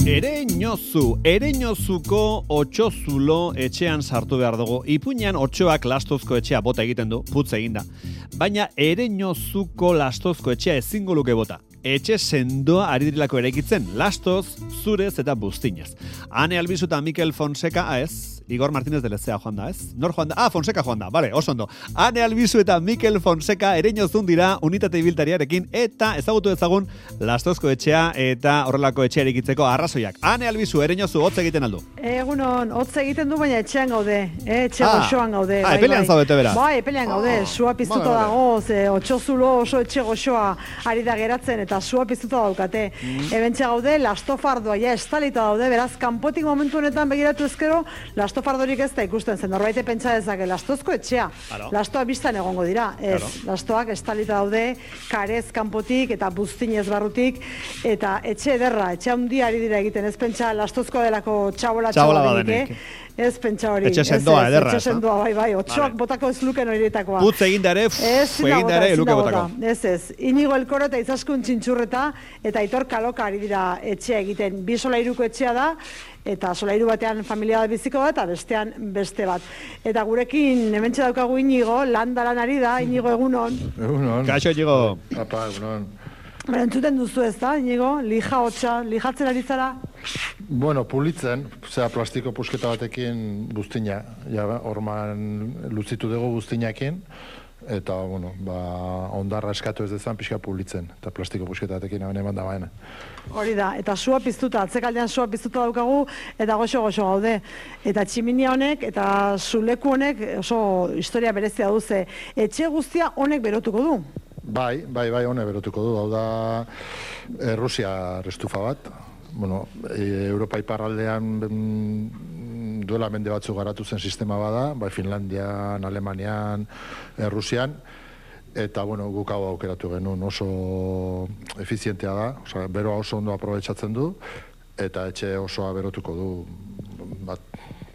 Ereñozuko otsozulo etxean sartu behar dugu. Ipuinean otsoak lastozko etxea bota egiten du, putz eginda. Baina Ereñozuko lastozko etxea ezingo luke bota. Etxe sendoa ari dirilako eraikitzen, lastoz, zurez eta buztinez. Ane Albizu eta Mikel Fonseca, ez? Igor Martínez de Lezea joan da, ez? Nor joan da? Fonseca joan da, bale, oso ondo. Ane Albizu eta Mikel Fonseca Ereñozun dira unitate ibiltariarekin eta ezagutu ezagun lastozko etxea eta horrelako etxea eraikitzeko arrazoiak. Ane Albizu, Ereñozu, hotz egiten aldu? Egunon, hotz egiten du, baina etxean gaude, etxe goxoan gaude. Epelean zaudete bera? Bai, epelean gaude, sua piztuta dago, otsozulo oso etxe goxoa ari da geratzen eta sua piztuta daukate. Ebentxe gaude, lastofardoa, ja estalita daude, beraz, kanpotik momentu honetan begiratu ezkero, lastofardorik ez da ikusten zen, norbaite pentsa dezake, lastozko etxea, lastoa biztan egongo dira, ez, lastoak estalita daude, karez kanpotik eta buztinez barrutik, eta etxe ederra, etxe handia ari dira egiten, ez pentsa lastozko delako txabola denik, ez pentsa hori. Etxe sendoa, ederra. Etxe sendoa, bai, otsoak botako ez luken horietakoa. Putz egindare, luke botako. Ez, Inigo Elkoro eta Izaskun Txintxurreta eta Aitor Kaloka ari dira etxea egiten. Bi solairuko etxea da, eta solairu batean familia bat biziko bat, eta bestean beste bat. Eta gurekin, hementxe daukagu Inigo, landaran ari da, Inigo egunon. Egunon. Kaixo, Inigo. Apa, egunon. Entzuten duzu ez da, Inigo? Lijatzen ari zara? Bueno, pulitzen, plastiko pusketa batekin buztina. Ja, orman luzitu dugu buztinakin, eta, bueno, ondarra eskatu ez dezan pixka pulitzen, eta plastiko pusketa batekin eman da baena. Hori da, eta sua piztuta, atzekaldean sua piztuta daukagu, eta goxo gaude. Eta tximinia honek, eta zuleku honek oso historia berezia duze. Etxe guztia honek berotuko du? Bai, honek berotuko du. Hau da Rusia restufa bat. Bueno, Europa iparraldean duela mende batzuk garatu zen sistema bada, bai Finlandian, Alemanian, Rusian, eta, bueno, guk hau aukeratu genuen, oso efizientea da, beroa oso ondo aprobetxatzen du, eta etxe osoa berotuko du.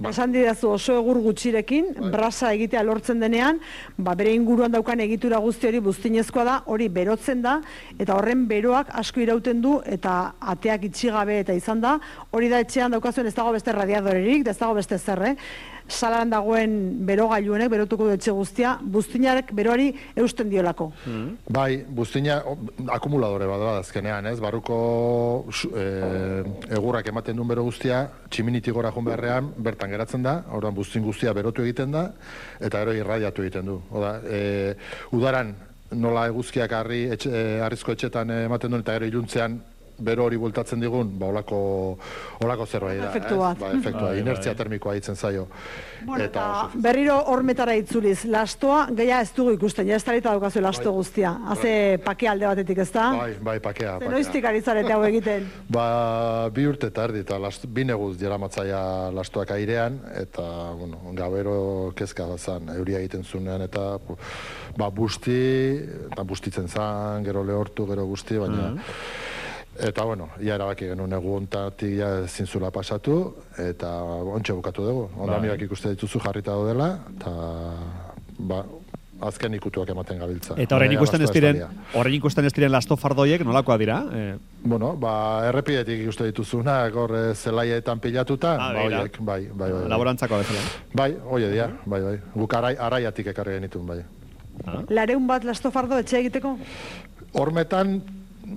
Esan didazu oso egur gutxirekin, brasa egitea lortzen denean, bere inguruan daukan egitura guzti hori buztinezkoa da, hori berotzen da, eta horren beroak asko irauten du, eta ateak itxigabe eta izan da, hori da etxean daukazuen ez dago beste radiadorerik, ez dago beste zerre, salaran dagoen berogailuenek berotuko du etxe guztia, buztinarek beroari eusten diolako. Bai, buztina akumuladore bat da azkenean, ez? Barruko egurrak ematen duen bero guztia, tximinitik gora joan beharrean, bertan geratzen da, orduan buztin guztia berotu egiten da, eta gero irradiatu egiten du. Udaran nola eguzkiak harrizko etxetan ematen duen, eta gero iluntzean bero hori bueltatzen digun, holako zerbait da. Efektua. Efektua, inertzia termikoa hitzen zaio. Bueno, eta berriro hormetara itzuliz, lastoa gehiago ez dugu ikusten, ja ez talita daukazu lasto guztia. Haze pakea alde batetik, ez da? Bai, pakea. Noiztik ari zarete hau egiten? 2 urte eta erdi, eta 2 neguz jeramatzaia lastoak airean, eta, bueno, gabero kezka bazan, euria egiten zunean, eta bustitzen zan, gero lehortu, gero guzti, baina... Eta, bueno, ja erabaki genuen egu ontatik ja zintzula pasatu, eta ontxe bukatu dugu. Ondamioak ikuste dituzu jarrita daudela, eta azken ikutuak ematen gabiltza. Eta horrein ikusten ez diren lastofardoiek nolakoa dira? Bueno, errepidetik ikuste dituzunak, hor zelaietan pilatuta, horiek, bai. Laborantzako bezala. Bai, hori dira, bai. Guk araiatik ekarri genitun, bai. Lareun bat lastofardo etxe egiteko? Hormetan,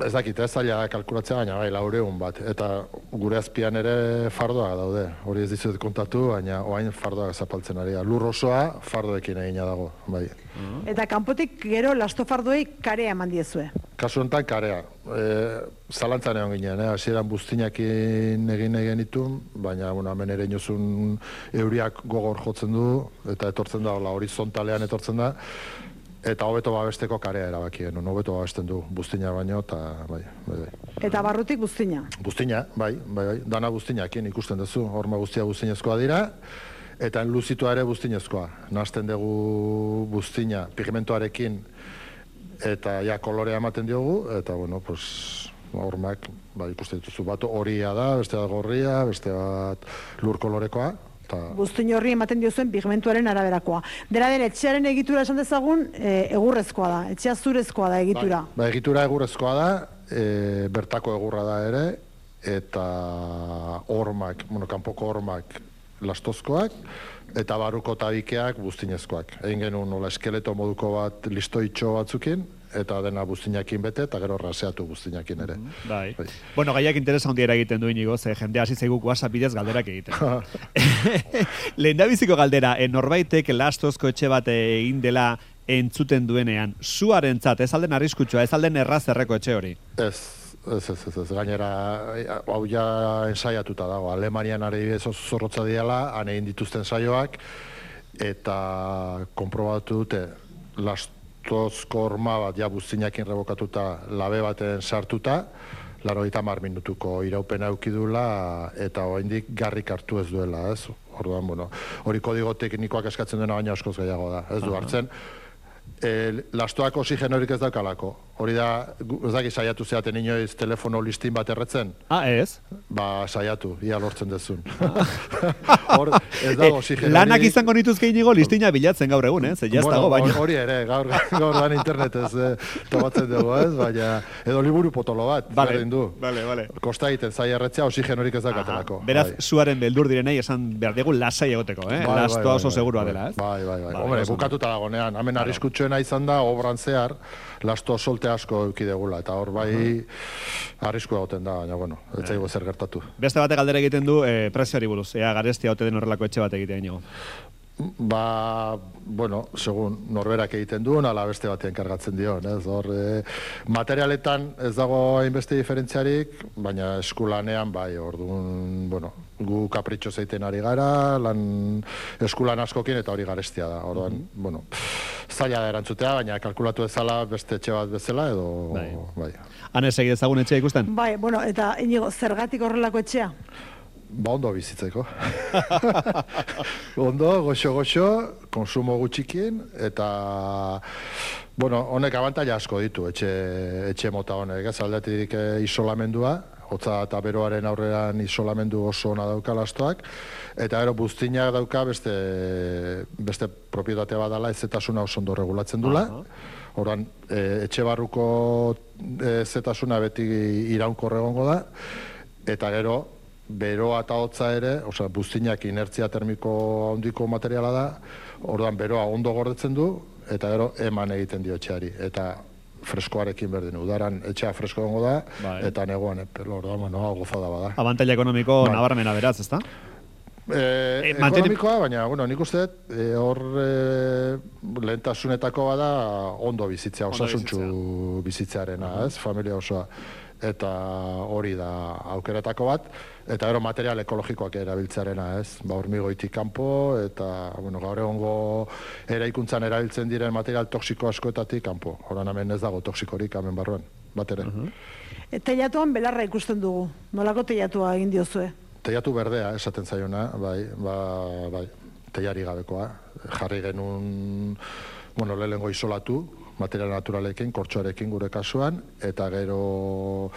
ez dakit, ez zaila kalkulatzea, baina bai, 400 bat. Eta gure azpian ere fardoak daude. Hori ez dizuet kontatu, baina oain fardoak zapaltzen ari da. Lur osoa fardoekin egina dago, bai. Eta kanpotik gero lastofardoei karea eman diezue? Kasu honetan karea. Zalantzan egon ginen, hasieran buztinakin egin genitun, baina hemen Ereñozun euriak gogor jotzen du, eta etortzen da, horizontalean etortzen da, eta hobeto babesteko karea erabaki genuen, hobeto babesten du buztina baino, eta bai. Eta barrutik buztina? Buztina, bai, dana buztinakin ikusten duzu, horma guztia buztinezkoa dira, eta enluzitua ere buztinezkoa. Nazten dugu buztina pigmentoarekin, eta ja kolorea ematen diogu, eta bueno, hormak ikusten dituzu, bat horia da, beste bat gorria, beste bat lur kolorekoa, Buztin horri ematen diozuen pigmentuaren araberakoa. Dena den, etxearen egitura esan dezagun, egurrezkoa da, etxea zurezkoa da egitura. Egitura egurrezkoa da, bertako egurra da ere, eta hormak, kanpoko hormak lastozkoak, eta barruko tabikeak buztinezkoak. Egin genuen nola eskeleto moduko bat listoitxo batzukin, eta dena buztinakin bete, eta gero raseatu buztinakin ere. Bai. Bueno, gaiak interesa handiera egiten du Inigo, ze jende hasi zaigu WhatsApp bidez galderak egiten. Lehendabiziko galdera, norbaitek lastozko etxe bat egin dela entzuten duenean, zuarentzat, ez alden arriskutsua, ez alden errazerreko etxe hori? Ez, gainera, hau ja ensaiatuta dago, Alemanian ari zorrotza diala, han egin dituzten saioak, eta konprobatu dute, lastozko horma bat, ja buztinakin rebokatuta, labe baten sartuta, 90 minutuko iraupena eukidula, eta oraindik garrik hartu ez duela, ez? Orduan, hori kodigo teknikoak eskatzen duena baina askoz gehiago da, ez du hartzen. Lastoak oxigenorik ez daukalako. Hori da, ez daki saiatu zeaten inoiz telefono listin bat erretzen? Ez? Ba, saiatu, ia lortzen dezun. Hor, ez dago oxigenorik. Lanak izango nituzke Inigo listina bilatzen gaur egun, ez dago baina. Hori ere, gaur dan internetez tobatzen dugu, ez? Baina, edo liburu potolo bat, berdin du. Vale. Kosta egiten zai erretzea oxigenorik ez daukatelako. Beraz, zuaren beldur direnei esan behar dugu lasai egoteko, Lastoa oso segurua dela, ez? Bai. Hombre, bukatuta dagonean, hemen arriskutsuena izan da, obran zehar, lasto solte asko eukidegula, eta hor bai arrisku egoten da, baina, ez zaigu zer gertatu. Beste batek galdera egiten du prezioari buruz, ea garestia ote den horrelako etxe bat egitea Inigo. Ba, segun norberak egiten duen, ala beste batean kargatzen dion, ez? Hor, materialetan ez dago hainbeste diferentziarik, baina eskulanean, bai, orduan, gu kapritxo zeiten ari gara, eskulan askokin eta hori garestia da, orduan, zaila da erantzutea, baina kalkulatu ezala beste etxe bat bezala, edo, bai. Hanez egi ezagun etxea ikusten? Bai, eta Inigo, zergatik horrelako etxea? Ba, ondo bizitzeko. Ondo, goxo, konsumo gutxikin, eta, honek abantaila asko ditu, etxe mota honek, ez aldetik isolamendua, hotza eta beroaren aurrean isolamendu oso ona dauka lastoak, eta gero buztinak dauka beste propietate bat dela, ezetasuna oso ondo regulatzen dula, Horan, etxe barruko ezetasuna beti iraunkor egongo da, eta gero, beroa eta hotza ere, buztinak inertzia termiko handiko materiala da, orduan beroa ondo gordetzen du, eta gero eman egiten dio etxeari. Eta freskoarekin berdin, udaran etxea fresko gongo da, eta negoan epelo, orduan, gozada bada. Abantaila ekonomiko nabarmena beraz, ezta? Ekonomikoa, baina, nik uste, hor lehentasunetako bada ondo bizitzea, osasuntxu bizitzearena, ez? Familia osoa. Eta hori da aukeretako bat, eta gero material ekologikoak erabiltzearena, ez? Hormigoitik kanpo, eta gaur egongo eraikuntzan erabiltzen diren material toxiko askoetatik kanpo. Horan hemen ez dago toxikorik hemen barruan, bat ere. Teilatuan belarra ikusten dugu, nolako teilatua egin diozue? Teilatu berdea, esaten zaiona, bai, teilari gabekoa. Jarri genuen, lehenengo isolatu, material naturalekin, kortxoarekin gure kasuan, eta gero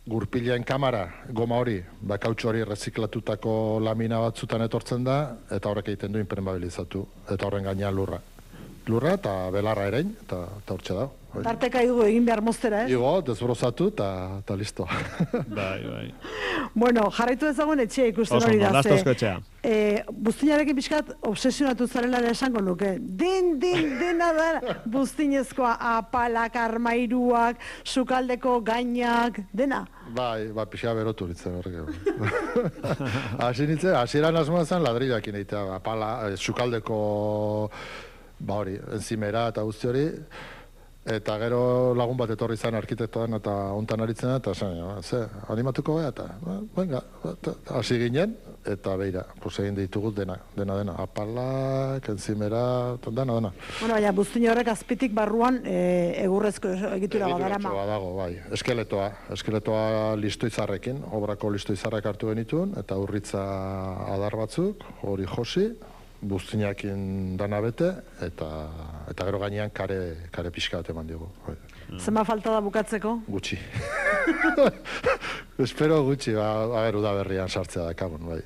gurpilean kamara, goma hori, kautxo hori reziklatutako lamina batzutan etortzen da, eta horrek egiten du impermeabilizatu, eta horren gainean lurra. Lurra eta belarra erein, eta hortxe da. Tarteka igu egin behar moztera, ez? Igo, desbrozatu, eta listo. Bai. Jarraitu ezagun etxea ikusten hori da, lastozko etxea. Buztinarekin pixkat obsesionatu zarela esango nuke. Dena da, buztinezkoa apalak, armairuak, sukaldeko gainak, dena. Bai, pixka berotu nintzen horrek. Hasieran asmoa zen ladrillakin egitea, apala, sukaldeko, hori, enzimera eta guzti hori, eta gero lagun bat etorri zen arkitektoan eta ontan aritzen da, eta animatuko gara, eta venga, hasi ginen, eta beira, egin ditugu dena, apalak, enzimera, dena. Baina, buztin horrek azpitik barruan egurrezko egitura badara ma. Badago, bai, eskeletoa listoizarrekin, obrako listoizarrek hartu genituen, eta urritza adar batzuk, hori josi, buztinakin dana bete, eta gero gainean kare pixka bat eman diogu. Zema falta da bukatzeko? Gutxi. Espero gutxi, udaberrian sartzea dakagun, bai.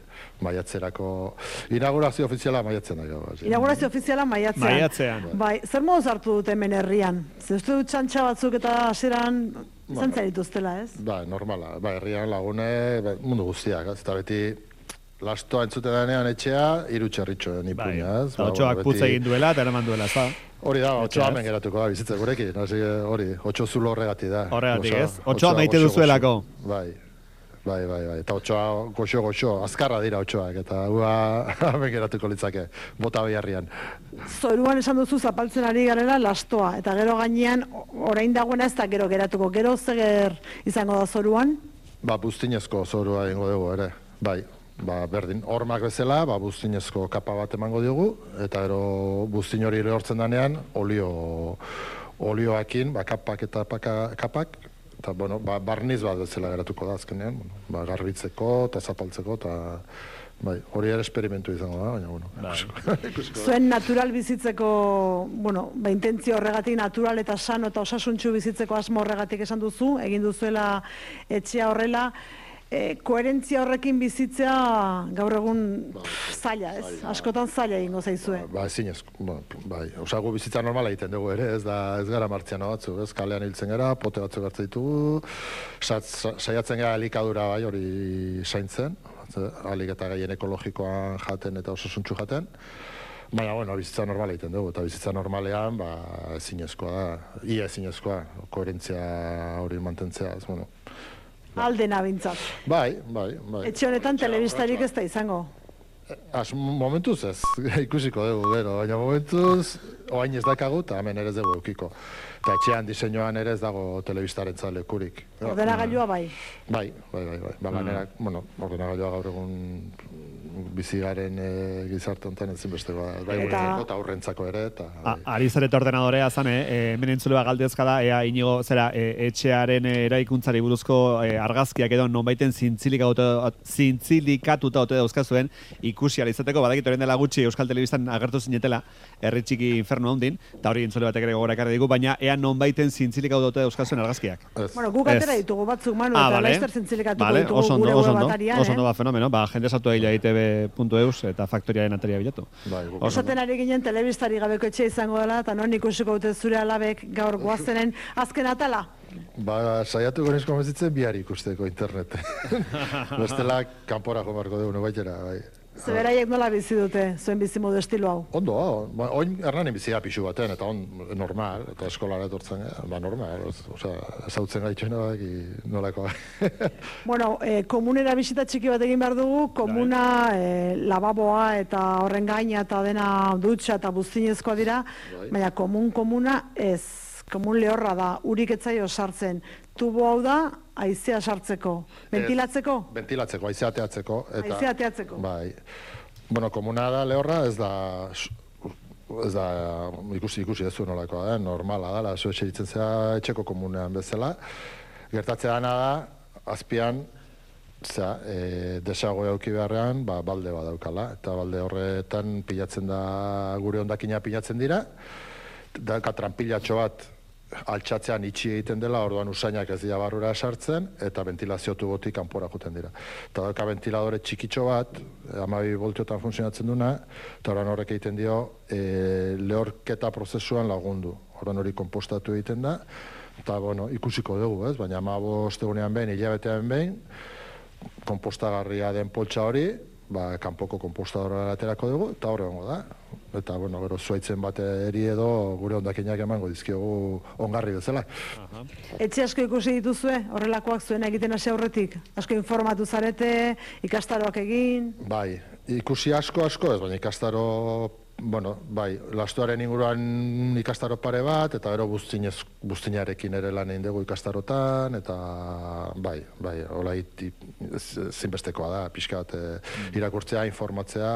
Maiatzerako, inaugurazio ofiziala maiatzen da. Inaugurazio ofiziala maiatzean. Maiatzean. Bai, zer moduz hartu dut hemen herrian? Zer uste dut txantxa batzuk eta hasieran izan zarituztela, ez? Ba, normala. Ba, herrian lagune, mundu guztiak, ez? Eta beti, lastoa entzute denean etxea, 3 txerritxoen ipuña, ez? Eta otxoak putz egin duela, eta eraman duela, ez da? Hori da, otxoa hemen geratuko da, bizitza gurekin. Hori, 8 zulo horregatik da. Horregatik, ez? Otxoa maite duzuelako. Bai. Eta otxoa goxo, azkarra dira otxoak, eta hua hemen geratuko litzake, bota beharrian. Zoruan esan duzu zapaltzen ari garela lastoa, eta gero gainean orain dagoena ez da gero geratuko. Gero zer izango da zoruan? Ba, buztinezko zorua egingo dugu ere, bai. Ba, berdin, hormak bezala, ba, buztinezko kapa bat emango diogu, eta gero buztin hori lehortzen danean, olioakin, ba, kapak eta kapak, eta, bueno, ba, barniz bat bezala geratuko da azkenean, bueno, ba, garbitzeko eta zapaltzeko, eta bai, hori ere esperimentu izango da, baina, bueno. Zuen natural bizitzeko, bueno, ba, intentzio horregatik natural eta sano eta osasuntxu bizitzeko asmo horregatik esan duzu, egin duzuela etxea horrela, koherentzia horrekin bizitzea gaur egun zaila, ez? Askotan zaila egingo zaizue. Ba, zinez, bai, osago bizitza normala egiten dugu ere, ez gara martziano batzu, ez? Kalean hiltzen gara, pote batzuk hartzen ditugu, saiatzen gara elikadura bai hori zaintzen, alik eta gaien ekologikoan jaten eta osasuntxu jaten, baina, bueno, bizitza normala egiten dugu, eta bizitza normalean, ba, ezinezkoa da, ia ezinezkoa, koherentzia hori mantentzea, ez, bueno. Aldena bintzat. Bai. Etxe honetan telebistarik ez da izango. Momentuz ez, ikusiko dugu, gero, baina momentuz, oain ez dakagu, eta hemen ere ez dugu eukiko. Eta etxean diseinuan ere ez dago telebistaren lekurik. Ordenagailua bai? Bai. Ba, ganerak, bueno, ordenagailua gaur egun bizigaren gizarte honetan ezinbestekoa, bai, eta aurrentzako ere, eta... Ari zareta ordenadorea zan, hemen entzuleba galdezka da, ea inigo, zera, etxearen eraikuntzari buruzko argazkiak edo nonbaiten zintzilikatuta ote dauzkazuen, ikusi alizateko, badakit orain dela gutxi Euskal Telebistan agertu zinetela, herri txiki infernu handin, eta hori entzule batek ere gogora ekarri digu, baina ea nonbaiten zintzilikatuta ote dauzkazuen argazkiak. Bueno, guk atera ditugu batzuk, Manu, eta laizter zintzilikatuko ditugu gure web atarian. Oso ondo, fenomeno, jende sartu egila itb.eus eta faktoriaren ataria bilatu. Esaten ari ginen telebistari gabeko etxe izango dela, eta non ikusiko dute zure alabek gaur goazenen azken atala? Ba, saiatuko nizko mezitzen bihar ikusteko internete. Bestela, kanpora jomarko dugu, baitera, bai. Zeberaiek nola bizi dute, zuen bizimodu estilo hau? Ondo, oin Hernanin bizia pixu baten, eta normal, eta eskolara etortzen, normal, ezautzen gaitxoena nolako. Bueno, komunera bisita txiki bat egin behar dugu, komuna lavaboa eta horren gaina eta dena dutxa eta buztinezkoa dira, baina komuna ez. Komun lehorra da, urik etzaio sartzen. Tubo hau da, haizea sartzeko. Ventilatzeko? Ventilatzeko, haizea ateatzeko. Haizea ateatzeko. Bai. Bueno, komuna da lehorra, ez da ikusi ez du nolakoa, normala da, zu etxe ditzen zera etxeko komunean bezala. Gertatzea dana da, azpian, desago euki beharrean, balde bat daukala. Eta balde horretan pilatzen da, gure hondakina pilatzen dira. Daka tranpilatxo bat altxatzean itxi egiten dela, orduan usainak ez dira barrura sartzen, eta ventilazio tubotik kanpora joten dira. Eta dauka ventiladore txikitxo bat, 12 voltiotan funtzionatzen duna, eta orduan horrek egiten dio lehorketa prozesuan lagundu. Orduan hori konpostatu egiten da, eta bueno, ikusiko dugu, ez? Baina 15 egunean behin, hilabetean behin, konpostagarria den poltsa hori, kanpoko konpostadora aterako dugu, eta horre hongo da. Eta, bueno, gero zuaitzen bat eri edo gure hondakinak emango dizkiogu ongarri bezala. Etxe asko ikusi dituzue, horrelakoak zuen egiten hasi aurretik? Asko informatu zarete, ikastaroak egin? Bai, ikusi asko ez, baina ikastaro, bueno, bai, lastoaren inguruan ikastaro pare bat, eta gero buztinarekin ere lan egin dugu ikastarotan, eta bai, hola zinbestekoa da, pixka bat irakurtzea, informatzea,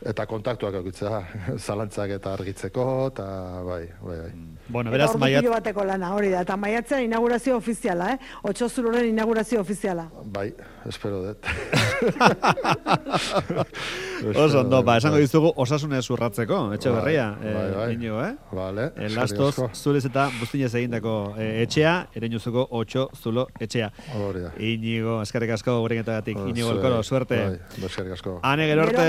eta kontaktuak egitzea, zalantzak eta argitzeko, eta bai. Bueno, beraz, ordu bateko lana, hori da, eta maiatzean inaugurazio ofiziala, 8 zuloren inaugurazio ofiziala. Bai, espero dut. Oso ondo, esango dizugu osasunez urratzeko, etxe berria. Inigo, Vale. Lastoz, zurez eta buztinez egindako etxea, ereinuzuko 8 zulo etxea. Hori da. Inigo, eskerrik asko gurenetagatik, Inigo Elkoro, suerte. Eskerrik asko. Ane, gero arte.